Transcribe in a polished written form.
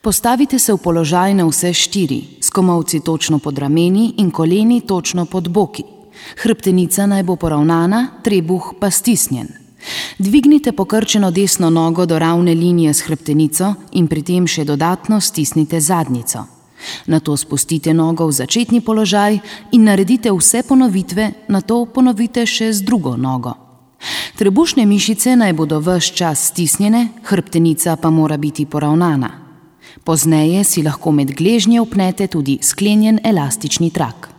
Postavite se v položaj na vse štiri, s komolci točno pod rameni in koleni točno pod boki. Hrbtenica naj bo poravnana, trebuh pa stisnjen. Dvignite pokrčeno desno nogo do ravne linije s hrbtenico in pri tem še dodatno stisnite zadnjico. Nato spustite nogo v začetni položaj in naredite vse ponovitve, nato ponovite še z drugo nogo. Trebušne mišice naj bodo ves čas stisnjene, hrbtenica pa mora biti poravnana. Pozneje si lahko med gležnje vpnete tudi sklenjen elastični trak.